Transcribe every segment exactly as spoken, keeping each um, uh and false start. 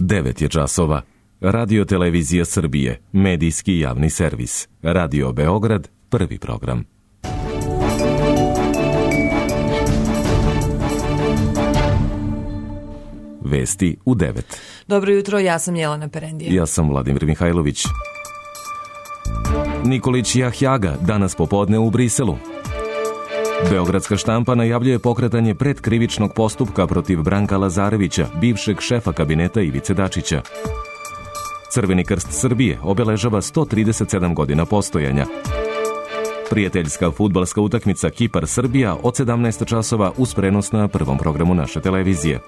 devet je časova. Radio Televizija Srbije, medijski javni servis. Radio Beograd, prvi program. Vesti u devet. Dobro jutro, ja sam Jelena Perendija. Ja sam Vladimir Mihajlović. Nikolić Jahjaga danas popodne u Briselu. Beogradska štampa najavljuje pokretanje predkrivičnog postupka protiv Branka Lazarevića, bivšeg šefa kabineta Ivice Dačića. Crveni krst Srbije obeležava sto trideset sedam godina postojanja. Prijateljska fudbalska utakmica Kipar-Srbija od sedamnaest časova uz prenos na prvom programu naše televizije.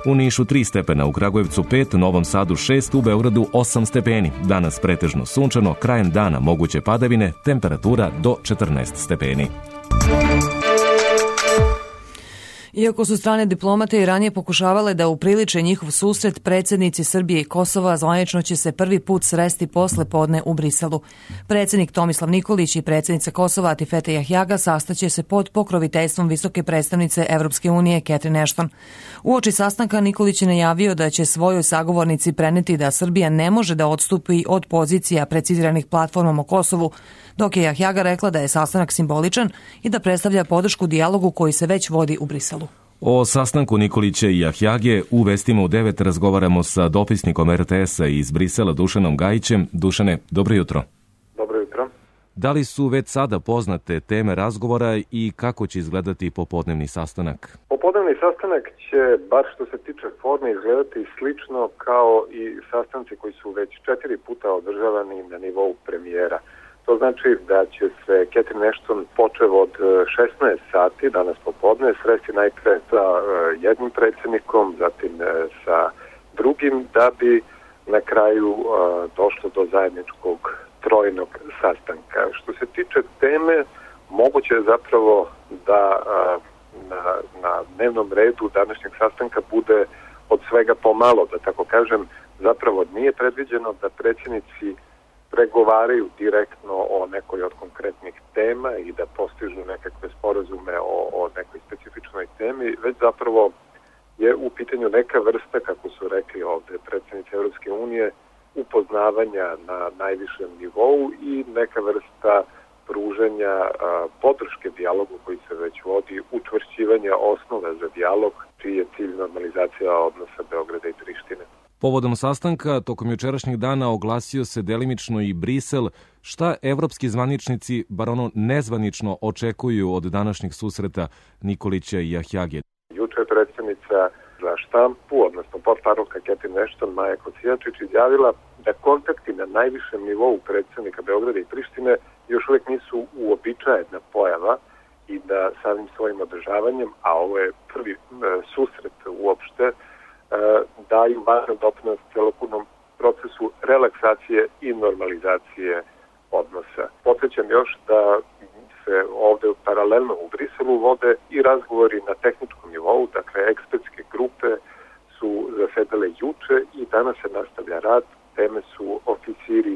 U Nišu tri stepena, u Kragujevcu pet, Novom Sadu šest, u Beogradu osam stepeni. Danas pretežno sunčano, krajem dana moguće padavine, temperatura do četrnaest stepeni. Iako su strane diplomate i ranije pokušavale da upriliče njihov susret, predsjednici Srbije i Kosova zvanično će se prvi put sresti posle podne u Briselu. Predsjednik Tomislav Nikolić i predsjednica Kosova Atifete Jahjaga sastaće se pod pokroviteljstvom visoke predstavnice Evropske unije Catherine Ashton. Uoči sastanka Nikolić je najavio da će svojoj sagovornici preneti da Srbija ne može da odstupi od pozicija preciziranih platformom o Kosovu, dok je Jahjaga rekla da je sastanak simboličan i da predstavlja podršku dijalogu koji se već vodi u Briselu. O sastanku Nikolića i Jahjage u Vestima u devet razgovaramo sa dopisnikom er te esa iz Brisela Dušanom Gajićem. Dušane, dobro jutro. Dobro jutro. Da li su već sada poznate teme razgovora i kako će izgledati popodnevni sastanak? Popodnevni sastanak će, bar što se tiče forme, izgledati slično kao i sastanci koji su već četiri puta održavani na nivou premijera. To znači da će se Catherine Ashton počev od šesnaest sati danas popodne sresti najpre sa jednim predsjednikom, zatim sa drugim, da bi na kraju došlo do zajedničkog trojnog sastanka. Što se tiče teme, moguće je zapravo da na, na dnevnom redu današnjeg sastanka bude od svega pomalo, da tako kažem. Zapravo nije predviđeno da predsjednici pregovaraju direktno o nekoj od konkretnih tema i da postižu nekakve sporazume o, o nekoj specifičnoj temi, već zapravo je u pitanju neka vrsta, kako su rekli ovde predsjednici Evropske unije, upoznavanja na najvišem nivou i neka vrsta pruženja a, podrške dijalogu koji se već vodi, učvršćivanja osnove za dijalog, čiji je cilj normalizacija odnosa Beograda i Prištine. Povodom sastanka, tokom jučerašnjeg dana oglasio se delimično i Brisel. Šta evropski zvaničnici, bar ono nezvanično, očekuju od današnjeg susreta Nikolića i Jahjage? Juče je predsjednica za štampu, odnosno portparolka Catherine Ashton, Maja Kocijačić, izjavila da kontakti na najvišem nivou predsjednika Beograda i Prištine još uvijek nisu uobičajena pojava i da samim svojim održavanjem, a ovo je prvi e, susret uopšte, daju važan doprinos celokupnom procesu relaksacije i normalizacije odnosa. Podsjećam još da se ovde paralelno u Briselu vode i razgovori na tehničkom nivou, dakle ekspertske grupe su zasedale juče i danas se nastavlja rad. Teme su oficiri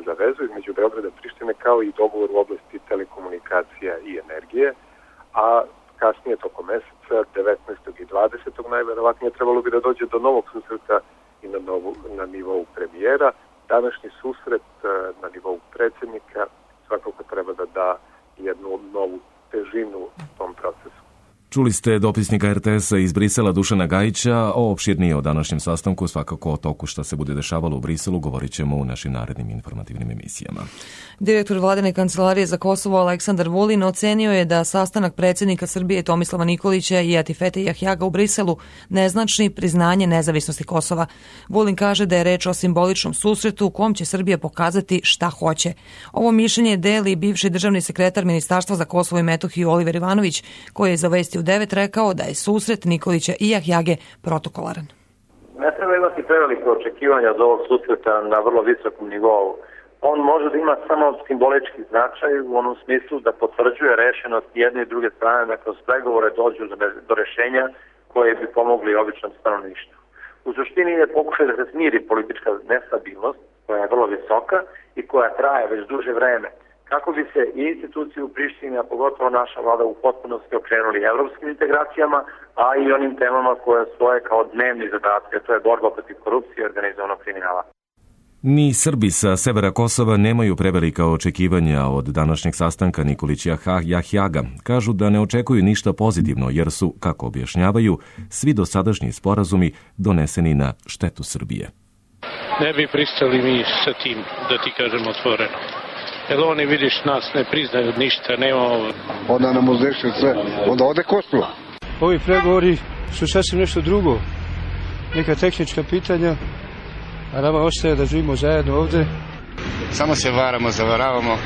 za vezu između Beograda i Prištine, kao i dogovor u oblasti telekomunikacija i energije, a kasnije tokom meseca, devetnaestog i dvadesetog najverovatnije trebalo bi da dođe do novog susreta i na, novu, na nivou premijera. Današnji susret na nivou predsjednika svakako treba da da jednu novu težinu tom procesu. Čuli ste dopisnika er te esa iz Brisela Dušana Gajića. O opširnije o današnjem sastanku, svakako o toku šta se bude dešavalo u Briselu, govorit ćemo u našim narednim informativnim emisijama. Direktor Vladine kancelarije za Kosovo Aleksandar Vulin ocenio je da sastanak predsjednika Srbije Tomislava Nikolića i Atifete Jahjaga u Briselu ne znači priznanje nezavisnosti Kosova. Vulin kaže da je reč o simboličnom susretu u kom će Srbija pokazati šta hoće. Ovo mišljenje deli bivši državni sekretar Ministarstva za Kosovo i Metohiju Oliver Ivanović, koji je za Vesti u devet rekao da je susret Nikolića i Jahjage protokolaran. Ne treba imati prevelike očekivanja od ovog susreta na vrlo visokom nivou. On može da ima samo simbolički značaj u onom smislu da potvrđuje rešenost jedne i druge strane da kroz pregovore dođu do rešenja koje bi pomogli običnom stanovništvu. U suštini je pokušaj da se smiri politička nestabilnost koja je vrlo visoka i koja traje već duže vreme. kako bi se i institucije u Prištini, a pogotovo naša vlada u potpunosti okrenuli evropskim integracijama, a i onim temama koje stoje kao dnevni zadatke, to je borba protiv korupcije i organizovanog kriminala. Ni Srbi sa severa Kosova nemaju prevelika očekivanja od današnjeg sastanka Nikolića Jahjaga. Kažu da ne očekuju ništa pozitivno jer su, kako objašnjavaju, svi dosadašnji sporazumi doneseni na štetu Srbije. Ne bi pristali mi sa tim, da ti kažem otvoreno. Jer oni, vidiš, nas ne priznaju ništa, nema ovo. Onda nam uzdeše sve, onda ode Kosovo. Ovi pregovori su sasvim nešto drugo. Neka tehnička pitanja, a nama ostaje da živimo zajedno ovde. Samo se varamo, zavaravamo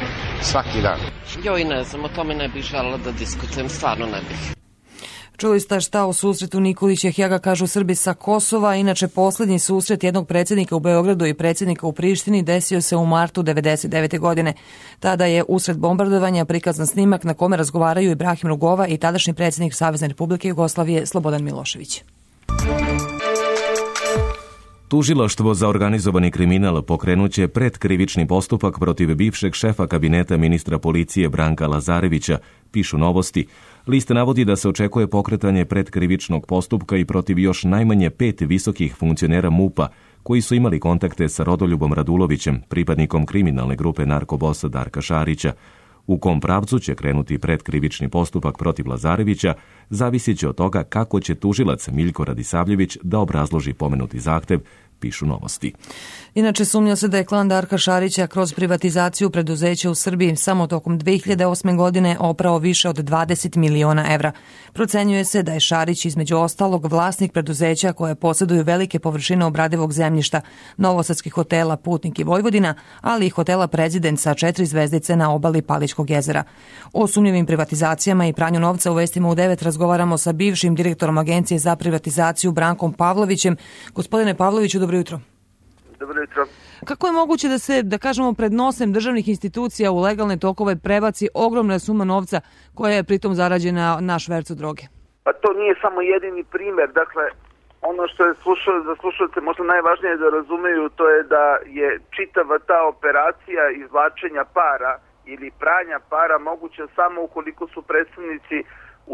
svaki dan. Joj, ne znam, o tome ne bih želela da diskutujem, stvarno ne bih. Čuli ste šta u susretu Nikolić Jahjaga kažu Srbi sa Kosova. Inače, posljednji susret jednog predsjednika u Beogradu i predsjednika u Prištini desio se u martu devedeset devete. godine. Tada je usred bombardovanja prikazan snimak na kome razgovaraju Ibrahim Rugova i tadašnji predsjednik Savezne Republike Jugoslavije Slobodan Milošević. Tužilaštvo za organizovani kriminal pokrenuće predkrivični postupak protiv bivšeg šefa kabineta ministra policije Branka Lazarevića, pišu Novosti. List navodi da se očekuje pokretanje predkrivičnog postupka i protiv još najmanje pet visokih funkcionera MUP-a koji su imali kontakte sa Rodoljubom Radulovićem, pripadnikom kriminalne grupe narkobosa Darka Šarića. U kom pravcu će krenuti predkrivični postupak protiv Lazarevića, zavisit će od toga kako će tužilac Miljko Radisavljević da obrazloži pomenuti zahtev, pišu Novosti. Inače, sumnja se da je klan Darka Šarića kroz privatizaciju preduzeća u Srbiji samo tokom dve hiljade osme. godine oprao više od dvadeset miliona evra. Procenjuje se da je Šarić između ostalog vlasnik preduzeća koje posjeduju velike površine obradivog zemljišta, novosadskih hotela Putnik i Vojvodina, ali i hotela Prezident sa četiri zvezdice na obali Palićkog jezera. O sumnjivim privatizacijama i pranju novca u Vestima u devet razgovaramo sa bivšim direktorom Agencije za privatizaciju Brankom Pavlovićem. Gospodine Pavloviću, dobro jutro. Dobro jutro. Kako je moguće da se, da kažemo, pred nosem državnih institucija u legalne tokove prebaci ogromna suma novca koja je pritom zarađena na švercu droge? Pa to nije samo jedini primjer. Dakle, ono što je slušao, za slušalce možda najvažnije da razumeju, to je da je čitava ta operacija izvlačenja para ili pranja para moguća samo ukoliko su predstavnici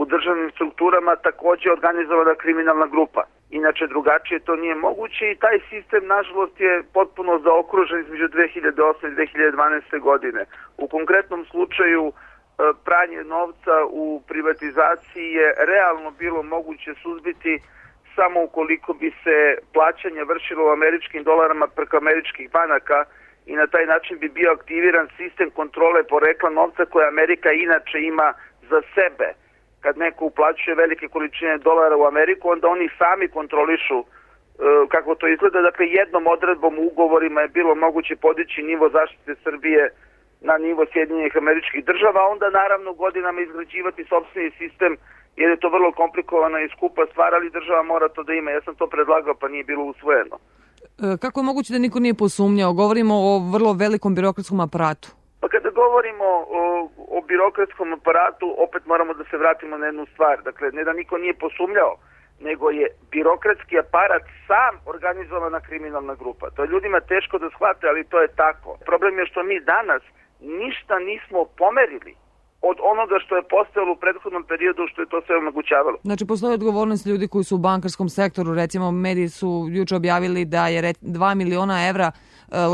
u državnim strukturama također organizovana kriminalna grupa. Inače, drugačije to nije moguće i taj sistem, nažalost, je potpuno zaokružen između dve hiljade osme i dve hiljade dvanaeste. godine. U konkretnom slučaju pranje novca u privatizaciji je realno bilo moguće suzbiti samo ukoliko bi se plaćanje vršilo u američkim dolarama preko američkih banaka i na taj način bi bio aktiviran sistem kontrole porekla novca koje Amerika inače ima za sebe. Kad neko uplaćuje velike količine dolara u Ameriku, onda oni sami kontrolišu e, kako to izgleda. Dakle, jednom odredbom u ugovorima je bilo moguće podići nivo zaštite Srbije na nivo Sjedinjenih Američkih Država, a onda naravno godinama izgrađivati sopstveni sistem, jer je to vrlo komplikovana i skupa stvar, ali država mora to da ima. Ja sam to predlagao, pa nije bilo usvojeno. E, kako je moguće da niko nije posumnjao? Govorimo o vrlo velikom birokratskom aparatu. Pa kada govorimo o, o birokratskom aparatu, opet moramo da se vratimo na jednu stvar. Dakle, ne da niko nije posumnjao, nego je birokratski aparat sam organizovana kriminalna grupa. To je ljudima teško da shvate, ali to je tako. Problem je što mi danas ništa nismo pomerili od onoga što je postojalo u prethodnom periodu, što je to sve omogućavalo. Znači, postoji odgovornost ljudi koji su u bankarskom sektoru. Recimo, mediji su juče objavili da je dva miliona evra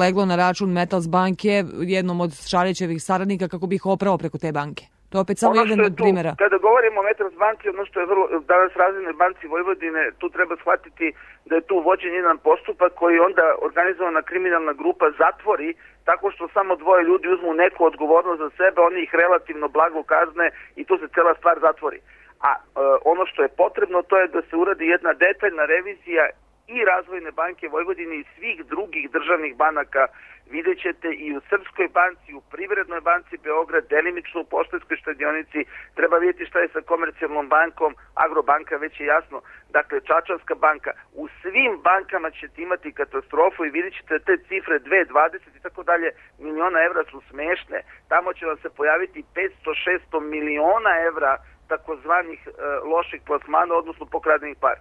leglo na račun Metals banke, jednom od Šarićevih saradnika, kako bi ih oprao preko te banke. To je opet samo jedan od primjera. Kada govorimo o Metals banci, ono što je vrlo, danas Razvojnoj banci Vojvodine, tu treba shvatiti da je tu vođen jedan postupak koji onda organizovana kriminalna grupa zatvori tako što samo dvoje ljudi uzmu neku odgovornost za sebe, oni ih relativno blago kazne i tu se cela stvar zatvori. A e, ono što je potrebno, to je da se uradi jedna detaljna revizija i Razvojne banke Vojvodine i svih drugih državnih banaka. Vidjet ćete i u Srpskoj banci, u Privrednoj banci Beograd, delimično u Poštanskoj štedionici. Treba vidjeti šta je sa Komercijalnom bankom, Agrobanka, već je jasno. Dakle, Čačanska banka. U svim bankama ćete imati katastrofu i vidjet ćete te cifre dve, dvadeset i tako dalje miliona evra su smešne. Tamo će vam se pojaviti petsto do šesto miliona evra takozvanih e, loših plasmana, odnosno pokradenih para.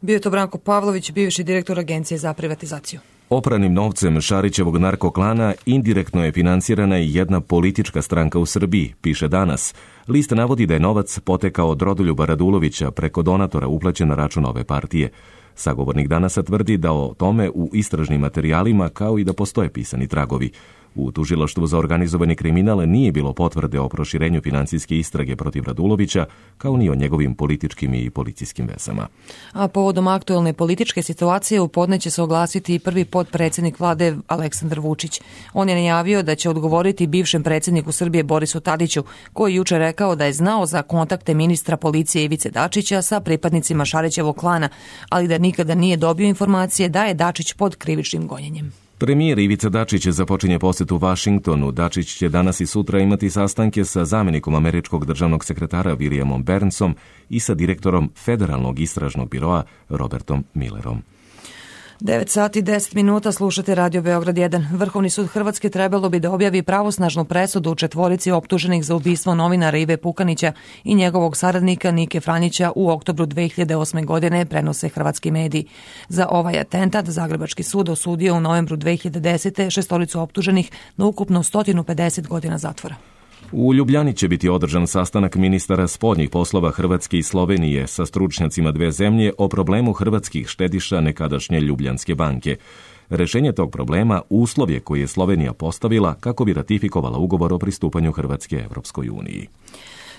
Bio je to Branko Pavlović, bivši direktor Agencije za privatizaciju. Opranim novcem Šarićevog narkoklana indirektno je finansirana i jedna politička stranka u Srbiji, piše Danas. List navodi da je novac potekao od Rodoljuba Radulovića preko donatora uplaćen na račun ove partije. Sagovornik Danasa tvrdi da o tome u istražnim materijalima kao i da postoje pisani tragovi. U tužilaštvu za organizovani kriminal nije bilo potvrde o proširenju financijske istrage protiv Radulovića, kao ni o njegovim političkim i policijskim vezama. A povodom aktuelne političke situacije u podne će se oglasiti i prvi potpredsjednik vlade Aleksandar Vučić. On je najavio da će odgovoriti bivšem predsjedniku Srbije Borisu Tadiću, koji juče rekao da je znao za kontakte ministra policije Ivice Dačića sa pripadnicima Šarićevog klana, ali da nikada nije dobio informacije da je Dačić pod krivičnim gonjenjem. Premijer Ivica Dačić započinje posjetu Vašingtonu. Dačić će danas i sutra imati sastanke sa zamjenikom američkog državnog sekretara Williamom Burnsom i sa direktorom Federalnog istražnog biroa Robertom Millerom. devet sati i deset minuta, slušate Radio Beograd jedan. Vrhovni sud Hrvatske trebalo bi da objavi pravosnažnu presudu u četvorici optuženih za ubistvo novinara Ive Pukanića i njegovog saradnika Nike Franjića u oktobru dve hiljade osme. godine, prenose hrvatski mediji. Za ovaj atentat Zagrebački sud osudio u novembru dve hiljade desete. šestoricu optuženih na ukupno sto pedeset godina zatvora. U Ljubljani će biti održan sastanak ministara spoljnih poslova Hrvatske i Slovenije sa stručnjacima dve zemlje o problemu hrvatskih štediša nekadašnje Ljubljanske banke. Rešenje tog problema uslov je koji je Slovenija postavila kako bi ratifikovala ugovor o pristupanju Hrvatske Evropskoj uniji.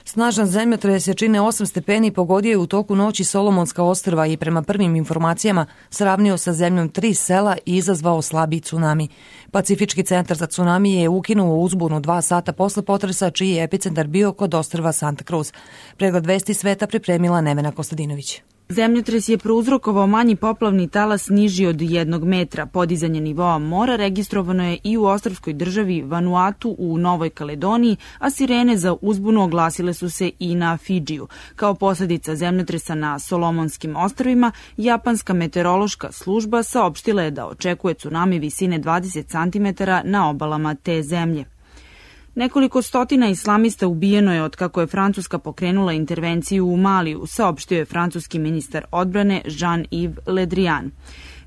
Snažan zemljotres jačine osam stepeni pogodio je u toku noći Solomonska ostrva i prema prvim informacijama sravnio sa zemljom tri sela i izazvao slabiji tsunami. Pacifički centar za tsunami je ukinuo uzbunu dva sata posle potresa, čiji je epicentar bio kod ostrva Santa Cruz. Pregled vesti sveta pripremila Nevena Kostadinović. Zemljotres je prouzrokovao manji poplavni talas niži od jednog metra. Podizanje nivoa mora registrovano je i u ostrvskoj državi Vanuatu u Novoj Kaledoniji, a sirene za uzbunu oglasile su se i na Fidžiju. Kao posljedica zemljotresa na Solomonskim ostrvima, japanska meteorološka služba saopštila je da očekuje tsunami visine dvadeset centimetara na obalama te zemlje. Nekoliko stotina islamista ubijeno je od kako je Francuska pokrenula intervenciju u Maliju, saopštio je francuski ministar odbrane Jean-Yves Le Drian.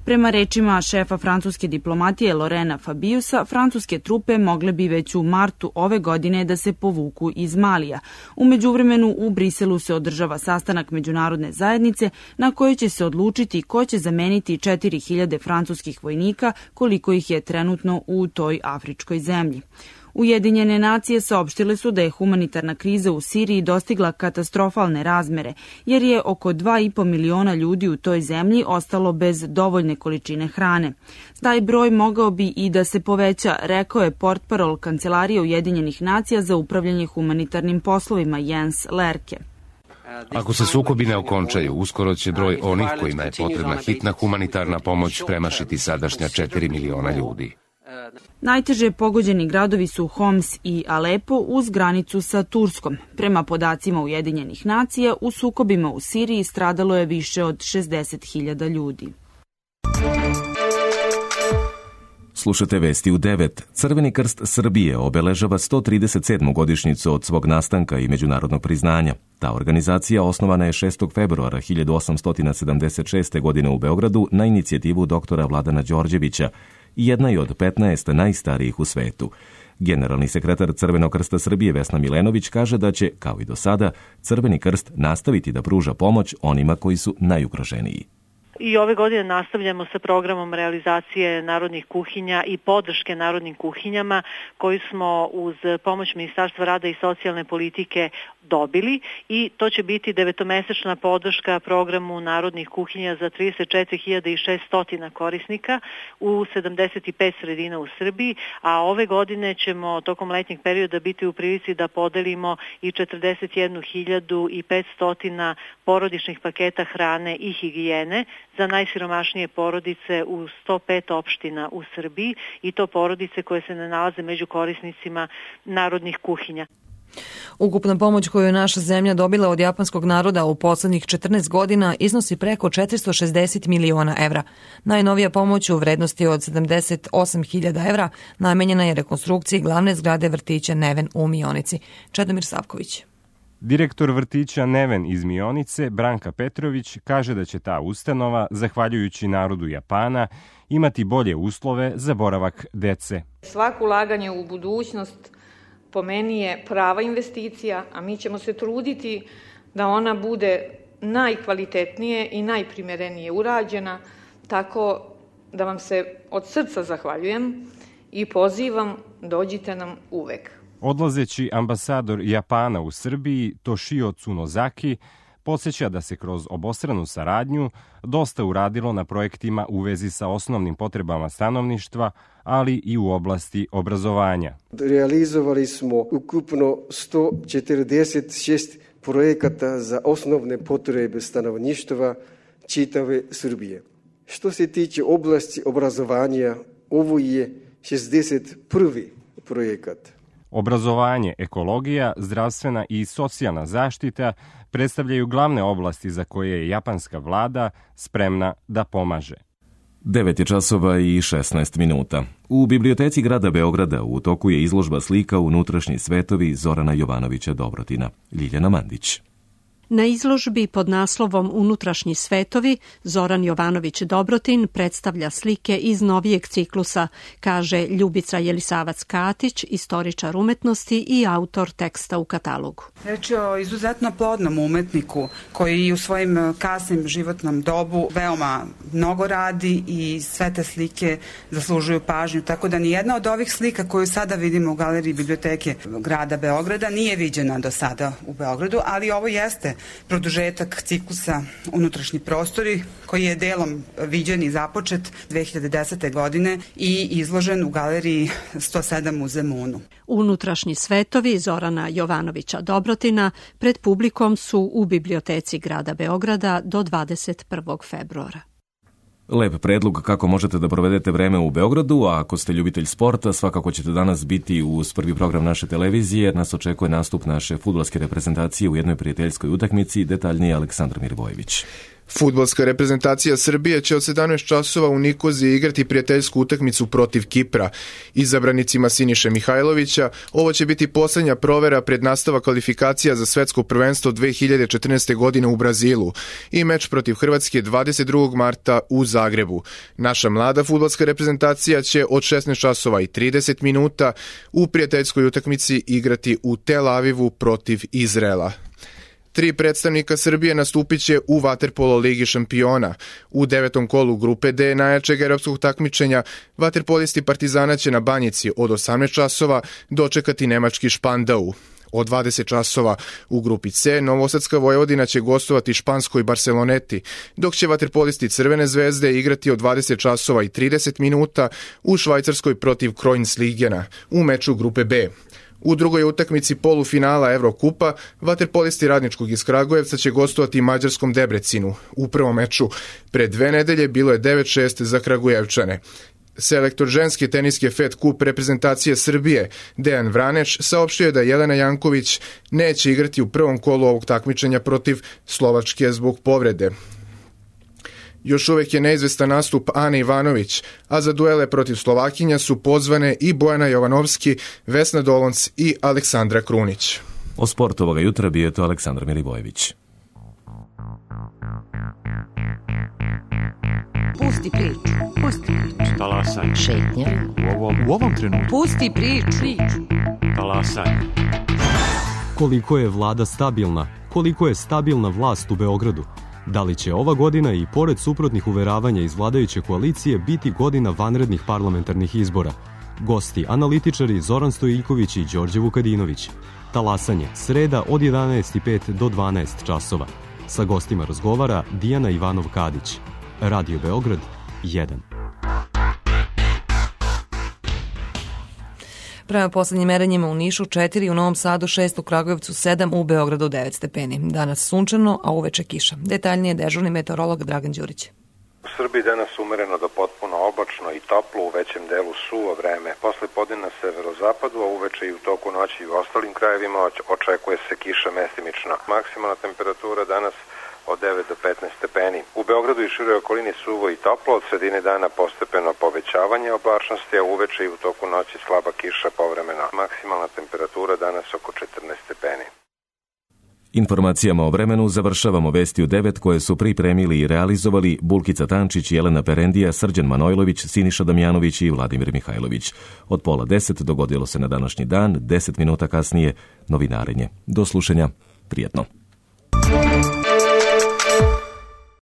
Prema rečima šefa francuske diplomatije Lorena Fabiusa, francuske trupe mogle bi već u martu ove godine da se povuku iz Malija. U međuvremenu u Briselu se održava sastanak međunarodne zajednice na kojoj će se odlučiti ko će zameniti četiri hiljade francuskih vojnika, koliko ih je trenutno u toj afričkoj zemlji. Ujedinjene nacije saopštile su da je humanitarna kriza u Siriji dostigla katastrofalne razmere, jer je oko dva i po miliona ljudi u toj zemlji ostalo bez dovoljne količine hrane. Taj broj mogao bi i da se poveća, rekao je portparol Kancelarije Ujedinjenih nacija za upravljanje humanitarnim poslovima Jens Lerke. Ako se sukobi ne okončaju, uskoro će broj onih kojima je potrebna hitna humanitarna pomoć premašiti sadašnja četiri miliona ljudi. Najteže pogođeni gradovi su Homs i Alepo uz granicu sa Turskom. Prema podacima Ujedinjenih nacija, u sukobima u Siriji stradalo je više od šezdeset hiljada ljudi. Slušate vesti u devet. Crveni krst Srbije obeležava sto trideset sedmu godišnjicu od svog nastanka i međunarodnog priznanja. Ta organizacija osnovana je šestog februara hiljadu osamsto sedamdeset šeste. godine u Beogradu na inicijativu doktora Vladana Đorđevića i jedna je od petnaest najstarijih u svetu. Generalni sekretar Crvenog krsta Srbije Vesna Milenović kaže da će, kao i do sada, Crveni krst nastaviti da pruža pomoć onima koji su najugroženiji. I ove godine nastavljamo sa programom realizacije narodnih kuhinja i podrške narodnim kuhinjama koji smo uz pomoć Ministarstva rada i socijalne politike dobili i to će biti devetomesečna podrška programu narodnih kuhinja za trideset četiri hiljade šesto korisnika u sedamdeset pet sredina u Srbiji, a ove godine ćemo tokom letnjeg perioda biti u prilici da podelimo i četrdeset jednu hiljadu petsto porodičnih paketa hrane i higijene za najsiromašnije porodice u sto pet opština u Srbiji i to porodice koje se ne nalaze među korisnicima narodnih kuhinja. Ukupna pomoć koju je naša zemlja dobila od japanskog naroda u poslednjih četrnaest godina iznosi preko četiristo šezdeset miliona evra. Najnovija pomoć u vrednosti od sedamdeset osam hiljada evra namenjena je rekonstrukciji glavne zgrade vrtića Neven u Mionici. Čedomir Savković. Direktor vrtića Neven iz Mionice, Branka Petrović, kaže da će ta ustanova, zahvaljujući narodu Japana, imati bolje uslove za boravak dece. Svako ulaganje u budućnost po meni je prava investicija, a mi ćemo se truditi da ona bude najkvalitetnije i najprimerenije urađena, tako da vam se od srca zahvaljujem i pozivam, dođite nam uvek. Odlazeći ambasador Japana u Srbiji, Toshio Tsunozaki, podsjeća da se kroz obostranu saradnju dosta uradilo na projektima u vezi sa osnovnim potrebama stanovništva, ali i u oblasti obrazovanja. Realizovali smo ukupno sto četrdeset šest projekata za osnovne potrebe stanovništva čitave Srbije. Što se tiče oblasti obrazovanja, ovo je šezdeset prvi projekat. Obrazovanje, ekologija, zdravstvena i socijalna zaštita predstavljaju glavne oblasti za koje je japanska vlada spremna da pomaže. devet je časova i šesnaest minuta. U biblioteci grada Beograda u toku je izložba slika Unutrašnji svetovi Zorana Jovanovića Dobrotina. Ljiljana Mandić. Na izložbi pod naslovom Unutrašnji svetovi Zoran Jovanović Dobrotin predstavlja slike iz novijeg ciklusa, kaže Ljubica Jelisavac-Katić, istoričar umetnosti i autor teksta u katalogu. Reč je o izuzetno plodnom umetniku koji u svojim kasnim životnom dobu veoma mnogo radi i sve te slike zaslužuju pažnju, tako da nijedna od ovih slika koju sada vidimo u galeriji biblioteke grada Beograda nije viđena do sada u Beogradu, ali ovo jeste produžetak ciklusa Unutrašnji prostori koji je delom viđen i započet dve hiljade desete. godine i izložen u galeriji sto sedam u Zemunu. Unutrašnji svetovi Zorana Jovanovića Dobrotina pred publikom su u biblioteci grada Beograda do dvadeset prvog februara. Lep predlog kako možete da provedete vreme u Beogradu, a ako ste ljubitelj sporta, svakako ćete danas biti uz prvi program naše televizije, jer nas očekuje nastup naše fudbalske reprezentacije u jednoj prijateljskoj utakmici, detaljnije Aleksandar Mirvojević. Fudbalska reprezentacija Srbije će od sedamnaest časova u Nikoziji igrati prijateljsku utakmicu protiv Kipra. Izabranicima Siniše Mihajlovića ovo će biti poslednja provera pred nastavak kvalifikacija za svetsko prvenstvo dve hiljade četrnaeste. godine u Brazilu i meč protiv Hrvatske dvadeset drugog marta u Zagrebu. Naša mlada fudbalska reprezentacija će od šesnaest časova i trideset minuta u prijateljskoj utakmici igrati u Tel Avivu protiv Izraela. Tri predstavnika Srbije nastupit će u vaterpolo Ligi šampiona. U devetom kolu grupe D najjačeg evropskog takmičenja vaterpolisti Partizana će na Banjici od osamnaest časova dočekati nemački Špandau. Od dvadeset časova u grupi C Novosadska Vojvodina će gostovati španskoj Barceloneti, dok će vaterpolisti Crvene zvezde igrati od dvadeset časova i trideset minuta u Švajcarskoj protiv Kroinsligena u meču grupe B. U drugoj utakmici polufinala Evrokupa, vaterpolisti Radničkog iz Kragujevca će gostovati mađarskom Debrecinu. U prvom meču pred dve nedelje bilo je devet šest za Kragujevčane. Selektor ženske teniske Fed Cup reprezentacije Srbije Dejan Vraneš saopštio je da Jelena Janković neće igrati u prvom kolu ovog takmičenja protiv Slovačke zbog povrede. Još uvek je neizvestan nastup Ane Ivanović, a za duele protiv Slovakinja su pozvane i Bojana Jovanovski, Vesna Dolonc i Aleksandra Krunić. O sportu ovoga jutra bio je to Aleksandar Milivojević. Pusti priču, pusti priču. Talasaj. Šetnja. U ovom, u ovom trenutku. Pusti priču. Talasaj. Koliko je vlada stabilna, koliko je stabilna vlast u Beogradu? Da li će ova godina i pored suprotnih uveravanja iz vladajuće koalicije biti godina vanrednih parlamentarnih izbora? Gosti, analitičari Zoran Stojiljković i Đorđe Vukadinović. Talasanje, sreda od jedanaest i pet do dvanaest časova. Sa gostima razgovara Dijana Ivanov-Kadić. Radio Beograd jedan. Prema poslednjim merenjima u Nišu četiri, u Novom Sadu šest, u Kragujevcu sedam, u Beogradu devet stepeni. Danas sunčano, a uveče kiša. Detaljnije dežurni meteorolog Dragan Đurić. U Srbiji danas umereno do potpuno oblačno i toplo, u većem delu suvo vreme. Posle podne na severozapadu, a uveče i u toku noći i u ostalim krajevima očekuje se kiša mestimično. Maksimalna temperatura danas od devet do petnaest stepeni. U Beogradu i široj okolini suvo i toplo, od sredine dana postepeno povećavanje oblačnosti, a uveče i u toku noći slaba kiša povremeno. Maksimalna temperatura danas oko četrnaest stepeni. Informacijama o vremenu završavamo vesti u devet koje su pripremili i realizovali Bulkica Tančić, Jelena Perendija, Srđan Manojlović, Siniša Damjanović i Vladimir Mihajlović. Od pola deset dogodilo se na današnji dan, deset minuta kasnije novinarenje. Do slušanja, prijetno.